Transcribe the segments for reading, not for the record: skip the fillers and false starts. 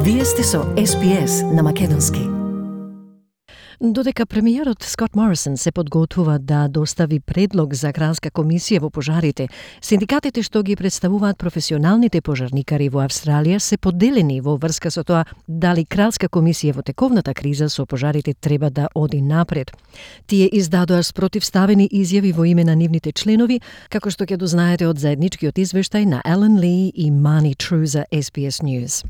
Вие сте со SPS на македонски. Додека премиерот Скот Морисон се подготвува да достави предлог за кралска комисија во пожарите, синдикатите што ги представуваат професионалните пожарникари во Австралија се поделени во врска со тоа дали кралска комисија во тековната криза со пожарите треба да оди напред. Тие издадоа спротивставени изјави во име на нивните членови, како што ќе дознаете од заедничкиот извештај на Елен Ли и Мани Тру за SBS News.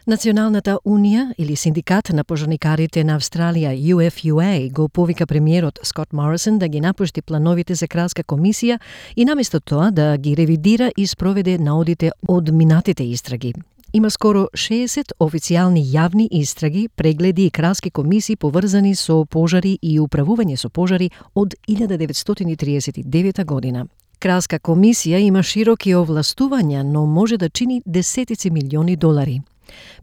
Националната унија или синдикат на пожарникарите на Австралија UFUA го повика премиерот Скот Морисон да ги напушти плановите за кралска комисија и наместо тоа да ги ревидира и спроведе наодите од минатите истраги. Има скоро 60 официјални јавни истраги, прегледи и кралски комисии поврзани со пожари и управување со пожари од 1939 година. Кралска комисија има широки овластувања, но може да чини десетици милиони долари.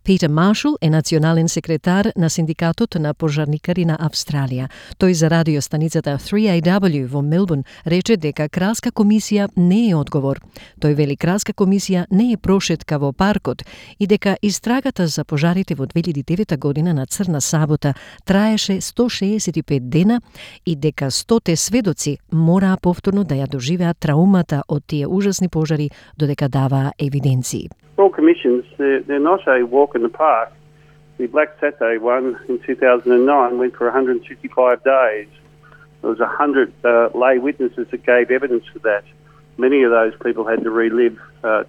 Питер Маршал е национален секретар на синдикатот на пожарникари на Австралија. Тој за радиостаницата 3AW во Мелбурн рече дека кралска комисија не е одговор. Тој вели кралска комисија не е прошетка во паркот и дека истрагата за пожарите во 2009 година на Црна сабота траеше 165 дена и дека 100 сведоци мораа повторно да ја доживеат траумата од тие ужасни пожари додека даваа евиденции. Royal Commissions, they're not a walk in the park. The Black Saturday one in 2009 went for 165 days. There was 100 lay witnesses that gave evidence for that. Many of those people had to relive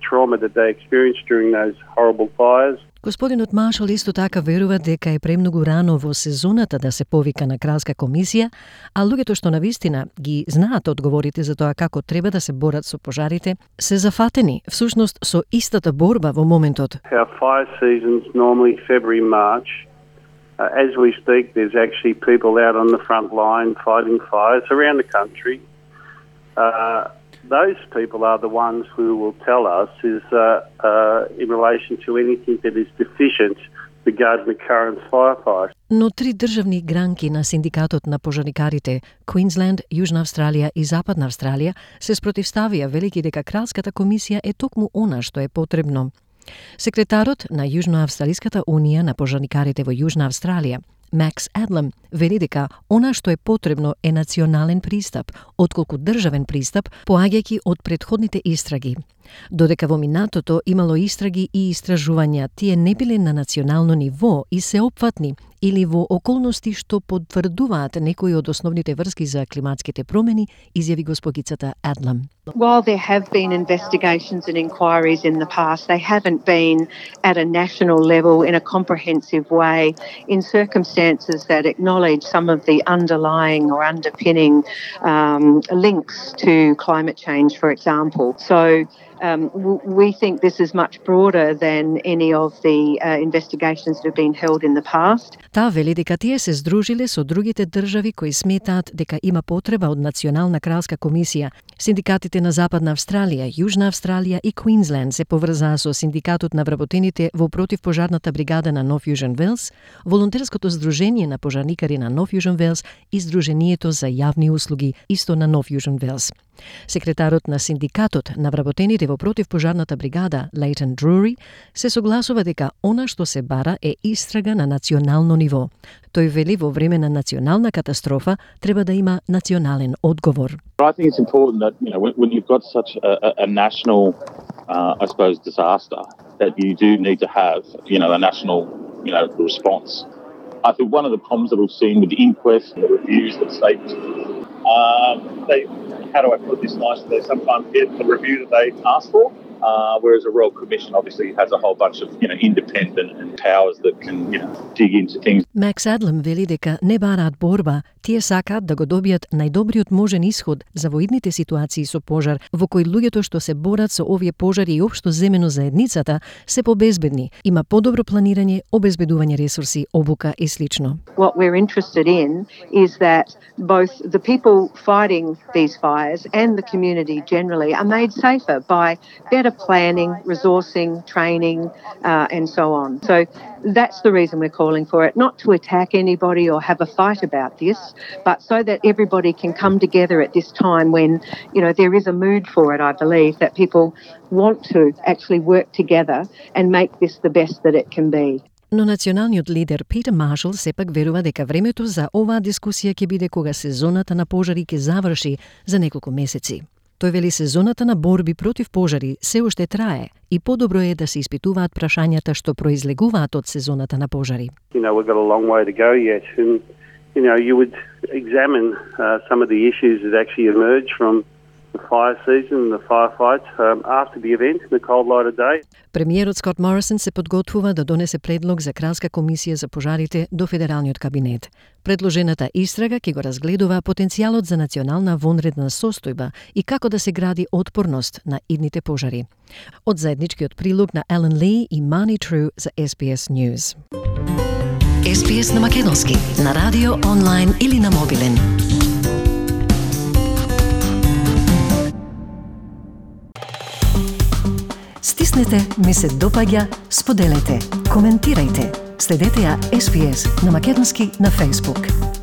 trauma that they experienced during those horrible fires. Господинот Маршал исто така верува дека е премногу рано во сезоната да се повика на кралска комисија, а луѓето што навистина ги знаат одговорите за тоа како треба да се борат со пожарите, се зафатени всушност со истата борба во моментот. Our fire season's normally February, March. As we speak, there's actually people out on the front line fighting fires around the country. Those people are the ones who will tell us is in relation to anything that is deficient regarding the current firefight. Но три државни гранки на синдикатот на пожарникарите, Квинсленд, Јужна Австралија и Западна Австралија, се спротивставија велики дека кралската комисија е токму она што е потребно. Секретарот на Јужноавстралиската унија на пожарникарите во Јужна Австралија, Макс Адлам, вели дека она што е потребно е национален пристап, отколку државен пристап, поаѓајќи од претходните истраги. Додека во минатото имало истраги и истражувања, тие не биле на национално ниво и сеопфатни или во околности што потврдуваат некои од основните врски за климатските промени, изјави госпогицата Адлам. While there have been investigations and inquiries in the past, they haven't been at a national level in a comprehensive way in circumstances that acknowledge some of the underlying or underpinning links to climate change, for example. So we think this is much broader than any of the investigations that have been held in the past. Таа вели дека тие се здружиле со другите држави кои сметаат дека има потреба од национална кралска комисија. Синдикатите на Западна Австралија, Јужна Австралија и Квинсленд се поврзаа со синдикатот на вработените во противпожарната бригада на Нов Јужен Велс, волонтерското здружение на пожарникари на Нов Јужен Велс и Здруженијето за јавни услуги исто на Нов Јужен Велс. Секретарот на синдикатот на вработените во противпожарната бригада, Лейтон Друри, се согласува дека она што се бара е истрага на национално ниво. Тој вели во време на национална катастрофа треба да има национален одговор. I think it's important that when you've got such a national, I suppose, disaster, that you do need to have a national response. I think one of the problems that we've seen with the inquest and the reviews that states, how do I put this nicely? They sometimes get the review that they ask for, whereas a Royal Commission obviously has a whole bunch of independent and powers that can dig into things. Макс Адлам вели дека не бараат борба, тие сакаат да го добијат најдобриот можен исход за воидните ситуации со пожар, во кои луѓето што се борат со овие пожари и општо земено заедницата се побезбедни, има подобро планирање, обезбедување ресурси, обука и слично. What we're interested in is that both the people fighting these fires and the community generally are made safer by better planning, resourcing, training, and so on. So That's the reason we're calling for it, not to attack anybody or have a fight about this, but so that everybody can come together at this time when, there is a mood for it, I believe, that people want to actually work together and make this the best that it can be. Но националниот лидер Питер Маршал сепак верува дека времето за оваа дискусија ќе биде кога сезоната на пожари ќе заврши за неколку месеци. Тој вели сезоната на борби против пожари се уште трае и подобро е да се испитуваат прашањата што произлегуваат од сезоната на пожари. We've got a long way to go yet, and you would examine some of the issues that actually emerge from the fire season and the firefights after the event in the cold light of day. Премиерот Скот Морисон се подготвува да донесе предлог за кралска комисија за пожарите до федералниот кабинет. Предложената истрага ќе го разгледува потенцијалот за национална вонредна состојба и како да се гради отпорност на идните пожари. Од заедничкиот прилог на Елен Ли и Мани Тру за SBS News. SBS на македонски, на радио, онлайн или на мобилен. Стиснете, ми се допаѓа, споделете, коментирајте. Следете ја SBS на македонски на Facebook.